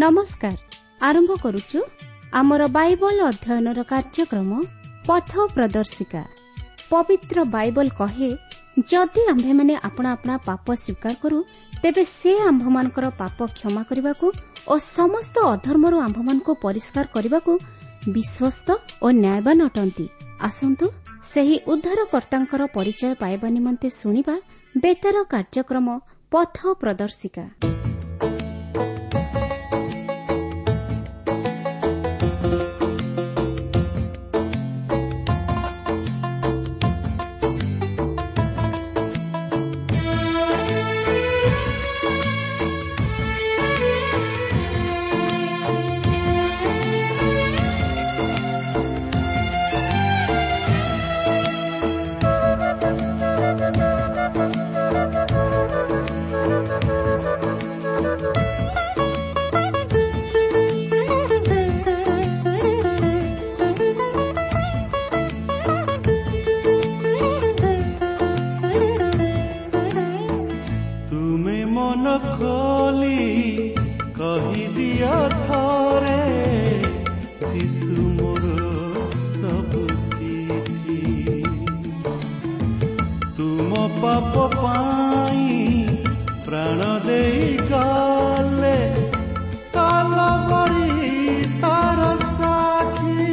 ନମସ୍କାର। ଆରମ୍ଭ କରୁଛୁ ଆମର ବାଇବଲ ଅଧ୍ୟୟନର କାର୍ଯ୍ୟକ୍ରମ ପଥ ପ୍ରଦର୍ଶିକା। ପବିତ୍ର ବାଇବଲ କହେ, ଯଦି ଆମ୍ଭେମାନେ ଆପଣା ଆପଣା ପାପ ସ୍ୱୀକାର କରୁ, ତେବେ ସେ ଆମ୍ଭମାନଙ୍କର ପାପ କ୍ଷମା କରିବାକୁ ଓ ସମସ୍ତ ଅଧର୍ମରୁ ଆମ୍ଭମାନଙ୍କୁ ପରିଷ୍କାର କରିବାକୁ ବିଶ୍ୱସ୍ତ ଓ ନ୍ୟାୟବାନ ଅଟନ୍ତି। ଆସନ୍ତୁ ସେହି ଉଦ୍ଧାରକର୍ତ୍ତାଙ୍କର ପରିଚୟ ପାଇବା ନିମନ୍ତେ ଶୁଣିବା ବେତାର କାର୍ଯ୍ୟକ୍ରମ ପଥ ପ୍ରଦର୍ଶିକା। ତୁମେ ମନ ଖୋଲି କହିଦିଅ ଥରେ, ଯୀଶୁ ମୋର ସବୁ କିଛି। ତୁମ ପାପ ପାଇଁ ପ୍ରାଣ ଦେଇ ଗଲେ କାଲବରୀ ତାର ସାକ୍ଷୀ।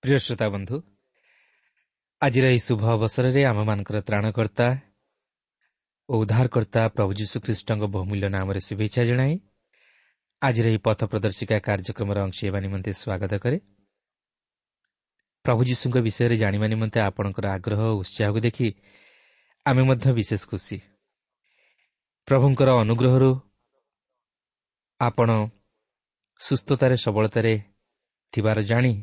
ପ୍ରିୟ ଶ୍ରୋତା ବନ୍ଧୁ, ଆଜିର ଏହି ଶୁଭ ଅବସରରେ ଆମମାନଙ୍କର ତ୍ରାଣକର୍ତ୍ତା ଓ ଉଦ୍ଧାରକର୍ତ୍ତା ପ୍ରଭୁ ଯୀଶୁଖ୍ରୀଷ୍ଟଙ୍କ ବହୁମୂଲ୍ୟ ନାମରେ ଶୁଭେଚ୍ଛା ଜଣାଇ ଆଜିର ଏହି ପଥ ପ୍ରଦର୍ଶିକା କାର୍ଯ୍ୟକ୍ରମର ଅଂଶ ହେବା ନିମନ୍ତେ ସ୍ୱାଗତ କରେ। ପ୍ରଭୁ ଯୀଶୁଙ୍କ ବିଷୟରେ ଜାଣିବା ନିମନ୍ତେ ଆପଣଙ୍କର ଆଗ୍ରହ ଓ ଉତ୍ସାହକୁ ଦେଖି ଆମେ ମଧ୍ୟ ବିଶେଷ ଖୁସି। ପ୍ରଭୁଙ୍କର ଅନୁଗ୍ରହରୁ ଆପଣ ସୁସ୍ଥତାରେ ସବଳତାରେ ଥିବାର ଜାଣି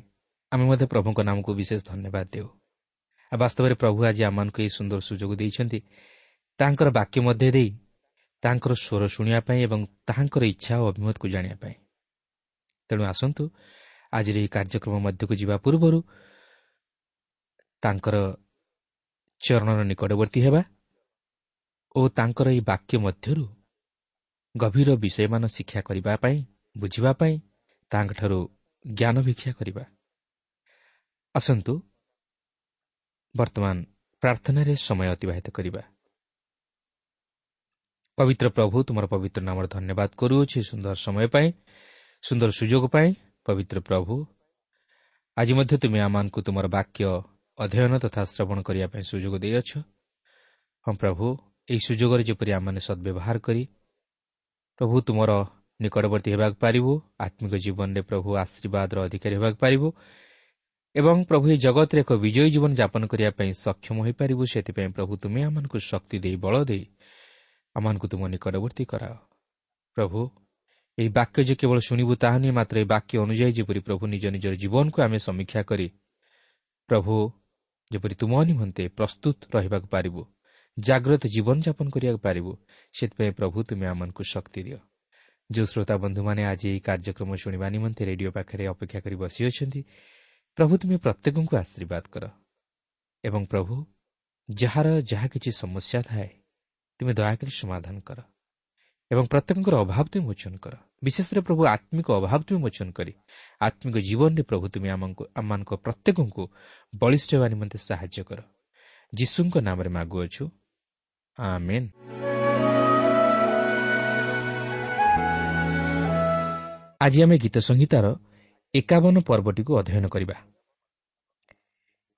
ଆମେ ମଧ୍ୟ ପ୍ରଭୁଙ୍କ ନାମକୁ ବିଶେଷ ଧନ୍ୟବାଦ ଦେଉ। ଆଉ ବାସ୍ତବରେ ପ୍ରଭୁ ଆଜି ଆମମାନଙ୍କୁ ଏହି ସୁନ୍ଦର ସୁଯୋଗ ଦେଇଛନ୍ତି ତାଙ୍କର ବାକ୍ୟ ମଧ୍ୟ ଦେଇ ତାଙ୍କର ସ୍ୱର ଶୁଣିବା ପାଇଁ ଏବଂ ତାହାଙ୍କର ଇଚ୍ଛା ଓ ଅଭିମତକୁ ଜାଣିବା ପାଇଁ। ତେଣୁ ଆସନ୍ତୁ ଆଜିର ଏହି କାର୍ଯ୍ୟକ୍ରମ ମଧ୍ୟକୁ ଯିବା ପୂର୍ବରୁ ତାଙ୍କର ଚରଣର ନିକଟବର୍ତ୍ତୀ ହେବା ଓ ତାଙ୍କର ଏହି ବାକ୍ୟ ମଧ୍ୟରୁ ଗଭୀର ବିଷୟମାନ ଶିକ୍ଷା କରିବା ପାଇଁ, ବୁଝିବା ପାଇଁ ତାଙ୍କଠାରୁ ଜ୍ଞାନ ଭିକ୍ଷା କରିବା। ଆସନ୍ତୁ ବର୍ତ୍ତମାନ ପ୍ରାର୍ଥନାରେ ସମୟ ଅତିବାହିତ କରିବା। ପବିତ୍ର ପ୍ରଭୁ, ତୁମର ପବିତ୍ର ନାମର ଧନ୍ୟବାଦ କରୁଅଛି ସୁନ୍ଦର ସମୟ ପାଇଁ, ସୁନ୍ଦର ସୁଯୋଗ ପାଇଁ। ପବିତ୍ର ପ୍ରଭୁ, ଆଜି ମଧ୍ୟ ତୁମେ ଆମମାନଙ୍କୁ ତୁମର ବାକ୍ୟ ଅଧ୍ୟୟନ ତଥା ଶ୍ରବଣ କରିବା ପାଇଁ ସୁଯୋଗ ଦେଇଅଛ। ହଁ ପ୍ରଭୁ, ଏହି ସୁଯୋଗରେ ଯେପରି ଆମମାନେ ସଦ୍ବ୍ୟବହାର କରି ପ୍ରଭୁ ତୁମର ନିକଟବର୍ତ୍ତୀ ହେବାକୁ ପାରିବୁ, ଆତ୍ମିକ ଜୀବନରେ ପ୍ରଭୁ ଆଶୀର୍ବାଦର ଅଧିକାରୀ ହେବାକୁ ପାରିବୁ ଏବଂ ପ୍ରଭୁ ଏହି ଜଗତରେ ଏକ ବିଜୟୀ ଜୀବନ ଯାପନ କରିବା ପାଇଁ ସକ୍ଷମ ହୋଇପାରିବୁ, ସେଥିପାଇଁ ପ୍ରଭୁ ତୁମେ ଆମମାନଙ୍କୁ ଶକ୍ତି ଦେଇ, ବଳ ଦେଇ ଆମମାନଙ୍କୁ ତୁମ ନିକଟବର୍ତ୍ତୀ କରାଅ। ପ୍ରଭୁ, ଏହି ବାକ୍ୟ ଯେ କେବଳ ଶୁଣିବୁ ତାହା ନୁହେଁ, ମାତ୍ର ଏହି ବାକ୍ୟ ଅନୁଯାୟୀ ଯେପରି ପ୍ରଭୁ ନିଜ ନିଜର ଜୀବନକୁ ଆମେ ସମୀକ୍ଷା କରି ପ୍ରଭୁ ଯେପରି ତୁମ ନିମନ୍ତେ ପ୍ରସ୍ତୁତ ରହିବାକୁ ପାରିବୁ, ଜାଗ୍ରତ ଜୀବନଯାପନ କରିବାକୁ ପାରିବୁ, ସେଥିପାଇଁ ପ୍ରଭୁ ତୁମେ ଆମମାନଙ୍କୁ ଶକ୍ତି ଦିଅ। ଯେଉଁ ଶ୍ରୋତା ବନ୍ଧୁମାନେ ଆଜି ଏହି କାର୍ଯ୍ୟକ୍ରମ ଶୁଣିବା ନିମନ୍ତେ ରେଡିଓ ପାଖରେ ଅପେକ୍ଷା କରି ବସିଅଛନ୍ତି, ପ୍ରଭୁ ତୁମେ ପ୍ରତ୍ୟେକଙ୍କୁ ଆଶୀର୍ବାଦ କର ଏବଂ ପ୍ରଭୁ ଯାହାର ଯାହା କିଛି ସମସ୍ୟା ଥାଏ ତୁମେ ଦୟାକରି ସମାଧାନ କର ଏବଂ ପ୍ରତ୍ୟେକଙ୍କର ଅଭାବ ତୁମେ ମୋଚନ କର। ବିଶେଷରେ ପ୍ରଭୁ ଆତ୍ମିକ ଅଭାବ ତୁମେ ମୋଚନ କରି ଆତ୍ମିକ ଜୀବନରେ ପ୍ରଭୁ ତୁମେ ଆମମାନଙ୍କ ପ୍ରତ୍ୟେକଙ୍କୁ ବଳିଷ୍ଠ ହେବା ନିମନ୍ତେ ସାହାଯ୍ୟ କର। ଯୀଶୁଙ୍କ ନାମରେ ମାଗୁଅଛୁ, ଆମେନ୍। ଆଜି ଆମେ ଗୀତ ସଂହିତାର 51 ପର୍ବଟିକୁ ଅଧ୍ୟୟନ କରିବା।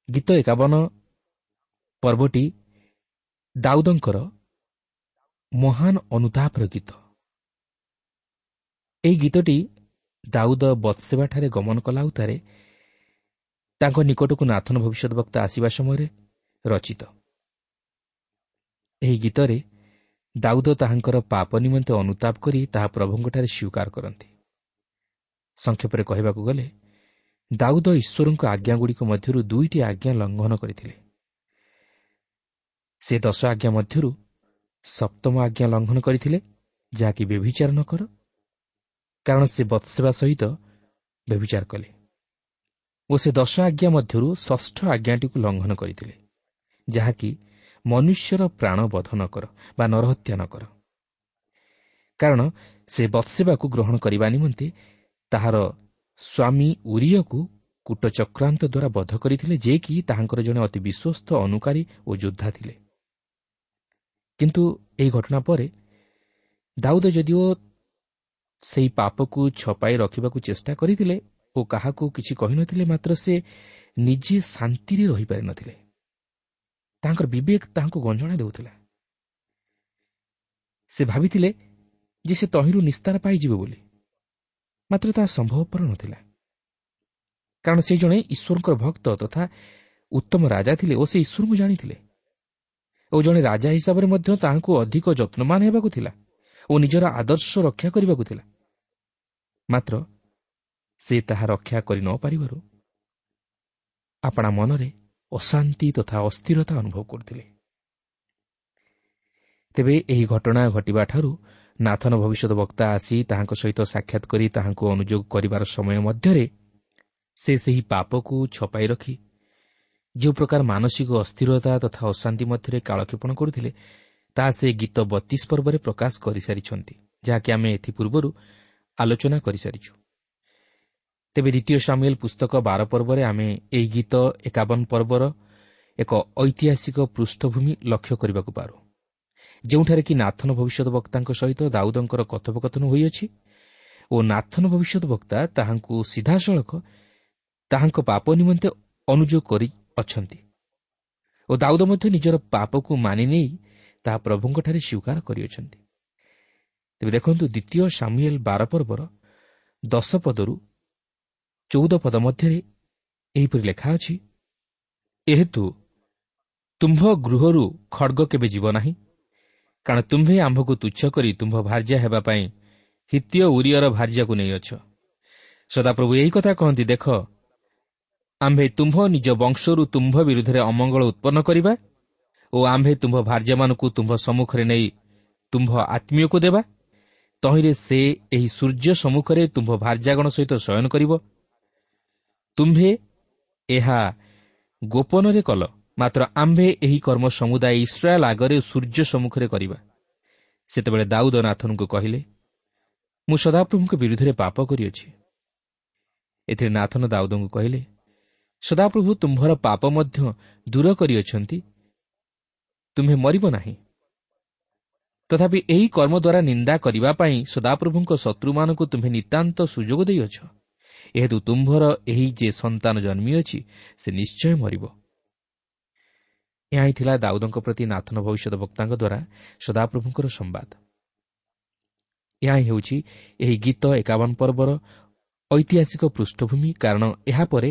ଗୀତ 51 ପର୍ବଟି ଦାଉଦଙ୍କର ମହାନ ଅନୁତାପର ଗୀତ। ଏହି ଗୀତଟି ଦାଉଦ ବତ୍ସେବାଠାରେ ଗମନ କଲା ଉତ୍ତାରେ ତାଙ୍କ ନିକଟକୁ ନାଥନ ଭବିଷ୍ୟତବକ୍ତା ଆସିବା ସମୟରେ ରଚିତ। ଏହି ଗୀତରେ ଦାଉଦ ତାହାଙ୍କର ପାପ ନିମନ୍ତେ ଅନୁତାପ କରି ତାହା ପ୍ରଭୁଙ୍କଠାରେ ସ୍ୱୀକାର କରନ୍ତି। ସଂକ୍ଷେପରେ କହିବାକୁ ଗଲେ ଦାଉଦ ଈଶ୍ୱରଙ୍କ ଆଜ୍ଞାଗୁଡ଼ିକ ମଧ୍ୟରୁ 2ଟି ଆଜ୍ଞା ଲଙ୍ଘନ କରିଥିଲେ। ସେ 10 ଆଜ୍ଞା ମଧ୍ୟରୁ 7ମ ଆଜ୍ଞା ଲଙ୍ଘନ କରିଥିଲେ, ଯାହାକି ବ୍ୟଭିଚାର ନ କର, କାରଣ ସେ ବତ୍ସେବା ସହିତ ବ୍ୟଭିଚାର କଲେ ଓ ସେ 10 ଆଜ୍ଞା ମଧ୍ୟରୁ 6ଷ୍ଠ ଆଜ୍ଞାଟିକୁ ଲଙ୍ଘନ କରିଥିଲେ, ଯାହାକି ମନୁଷ୍ୟର ପ୍ରାଣ ବଧ ନ କର ବା ନରହତ୍ୟା ନ କର। କାରଣ ସେ ବତ୍ସେବାକୁ ଗ୍ରହଣ କରିବା ନିମନ୍ତେ ତାହାର ସ୍ୱାମୀ ଉରିୟକୁ କୂଟଚକ୍ରାନ୍ତ ଦ୍ୱାରା ବଧ କରିଥିଲେ, ଯେ କି ତାହାଙ୍କର ଜଣେ ଅତି ବିଶ୍ୱସ୍ତ ଅନୁକାରୀ ଓ ଯୋଦ୍ଧା ଥିଲେ। କିନ୍ତୁ ଏହି ଘଟଣା ପରେ ଦାଉଦ ଯଦିଓ ସେହି ପାପକୁ ଛପାଇ ରଖିବାକୁ ଚେଷ୍ଟା କରିଥିଲେ ଓ କାହାକୁ କିଛି କହିନଥିଲେ, ମାତ୍ର ସେ ନିଜେ ଶାନ୍ତିରେ ରହିପାରିନଥିଲେ। ତାଙ୍କର ବିବେକ ତାହାଙ୍କୁ ଗଞ୍ଜଣା ଦେଉଥିଲା। ସେ ଭାବିଥିଲେ ଯେ ସେ ତହିଁରୁ ନିସ୍ତାର ପାଇଯିବେ ବୋଲି, ମାତ୍ର ତାହା ସମ୍ଭବପର ନଥିଲା। କାରଣ ସେ ଜଣେ ଈଶ୍ୱରଙ୍କର ଭକ୍ତ ତଥା ଉତ୍ତମ ରାଜା ଥିଲେ ଓ ସେ ଈଶ୍ୱରଙ୍କୁ ଜାଣିଥିଲେ ଓ ଜଣେ ରାଜା ହିସାବରେ ମଧ୍ୟ ତାହାଙ୍କୁ ଅଧିକ ଯତ୍ନବାନ ହେବାକୁ ଥିଲା ଓ ନିଜର ଆଦର୍ଶ ରକ୍ଷା କରିବାକୁ ଥିଲା। ମାତ୍ର ସେ ତାହା ରକ୍ଷା କରି ନ ପାରିବାରୁ ଆପଣା ମନରେ ଅଶାନ୍ତି ତଥା ଅସ୍ଥିରତା ଅନୁଭବ କରୁଥିଲେ। ତେବେ ଏହି ଘଟଣା ଘଟିବା ଠାରୁ ନାଥନ ଭବିଷ୍ୟତ ବକ୍ତା ଆସି ତାହାଙ୍କ ସହିତ ସାକ୍ଷାତ କରି ତାହାଙ୍କୁ ଅନୁଯୋଗ କରିବାର ସମୟ ମଧ୍ୟରେ ସେ ସେହି ପାପକୁ ଛପାଇ ରଖି ଯେଉଁ ପ୍ରକାର ମାନସିକ ଅସ୍ଥିରତା ତଥା ଅଶାନ୍ତି ମଧ୍ୟରେ କାଳକ୍ଷେପଣ କରୁଥିଲେ, ତାହା ସେ ଗୀତ 32 ପର୍ବରେ ପ୍ରକାଶ କରିସାରିଛନ୍ତି, ଯାହାକି ଆମେ ଏଥିପୂର୍ବରୁ ଆଲୋଚନା କରିସାରିଛୁ। ତେବେ ଦ୍ୱିତୀୟ ସାମୁଏଲ ପୁସ୍ତକ 12 ପର୍ବରେ ଆମେ ଏହି ଗୀତ 51 ପର୍ବର ଏକ ଐତିହାସିକ ପୃଷ୍ଠଭୂମି ଲକ୍ଷ୍ୟ କରିବାକୁ ପାରୁ, ଯେଉଁଠାରେ କି ନାଥନ ଭବିଷ୍ୟତ ବକ୍ତାଙ୍କ ସହିତ ଦାଉଦଙ୍କର କଥୋପକଥନ ହୋଇଅଛି ଓ ନାଥନ ଭବିଷ୍ୟତ ବକ୍ତା ତାହାଙ୍କୁ ସିଧାସଳଖ ତାହାଙ୍କ ପାପ ନିମନ୍ତେ ଅନୁଯୋଗ କରି ଅଛନ୍ତି ଓ ଦାଉଦ ମଧ୍ୟ ନିଜର ପାପକୁ ମାନି ନେଇ ତାହା ପ୍ରଭୁଙ୍କଠାରେ ସ୍ୱୀକାର କରିଅଛନ୍ତି। ତେବେ ଦେଖନ୍ତୁ ଦ୍ୱିତୀୟ ସାମୁଏଲ 12 ପର୍ବର 10 ପଦରୁ 14 ପଦ ମଧ୍ୟରେ ଏହିପରି ଲେଖା ଅଛି, ଏହେତୁ ତୁମ୍ଭ ଗୃହରୁ ଖଡ଼ଗ କେବେ ଯିବ ନାହିଁ, କାରଣ ତୁମ୍ଭେ ଆମ୍ଭକୁ ତୁଚ୍ଛ କରି ତୁମ୍ଭ ଭାର୍ଯ୍ୟା ହେବା ପାଇଁ ହିତ୍ତୀୟ ଉରିୟର ଭାର୍ଯ୍ୟାକୁ ନେଇଅଛ। ସଦାପ୍ରଭୁ ଏହି କଥା କହନ୍ତି, ଦେଖ, ଆମ୍ଭେ ତୁମ୍ଭ ନିଜ ବଂଶରୁ ତୁମ୍ଭ ବିରୁଦ୍ଧରେ ଅମଙ୍ଗଳ ଉତ୍ପନ୍ନ କରିବା ଓ ଆମ୍ଭେ ତୁମ୍ଭ ଭାର୍ଯ୍ୟାମାନଙ୍କୁ ତୁମ୍ଭ ସମ୍ମୁଖରେ ନେଇ ତୁମ୍ଭ ଆତ୍ମୀୟକୁ ଦେବା, ତହିଁରେ ସେ ଏହି ସୂର୍ଯ୍ୟ ସମ୍ମୁଖରେ ତୁମ୍ଭ ଭାର୍ଯ୍ୟାଗଣ ସହିତ ଶୟନ କରିବ। ତୁମ୍ଭେ ଏହା ଗୋପନରେ କଲ, ମାତ୍ର ଆମ୍ଭେ ଏହି କର୍ମ ସମୁଦାୟ ଇସ୍ରାଏଲ ଆଗରେ ସୂର୍ଯ୍ୟ ସମ୍ମୁଖରେ କରିବା। ସେତେବେଳେ ଦାଉଦ ନାଥନଙ୍କୁ କହିଲେ, ମୁଁ ସଦାପ୍ରଭୁଙ୍କ ବିରୁଦ୍ଧରେ ପାପ କରିଅଛି। ଏଥିରେ ନାଥନ ଦାଉଦଙ୍କୁ କହିଲେ, ସଦାପ୍ରଭୁ ତୁମ୍ଭର ପାପ ମଧ୍ୟ ଦୂର କରିଅଛନ୍ତି, ତୁମ୍ଭେ ମରିବ ନାହିଁ। ତଥାପି ଏହି କର୍ମ ଦ୍ୱାରା ନିନ୍ଦା କରିବା ପାଇଁ ସଦାପ୍ରଭୁଙ୍କ ଶତ୍ରୁମାନଙ୍କୁ ତୁମ୍ଭେ ନିତାନ୍ତ ସୁଯୋଗ ଦେଇଅଛ। ଏହେତୁ ତୁମ୍ଭର ଏହି ଯେ ସନ୍ତାନ ଜନ୍ମିଅଛି, ସେ ନିଶ୍ଚୟ ମରିବ। ଏହା ହିଁ ଥିଲା ଦାଉଦଙ୍କ ପ୍ରତି ନାଥନ ଭବିଷ୍ୟତ ବକ୍ତାଙ୍କ ଦ୍ୱାରା ସଦାପ୍ରଭୁଙ୍କର ସମ୍ବାଦ। ଏହା ହିଁ ହେଉଛି ଏହି ଗୀତ 51 ପର୍ବର ଐତିହାସିକ ପୃଷ୍ଠଭୂମି, କାରଣ ଏହାପରେ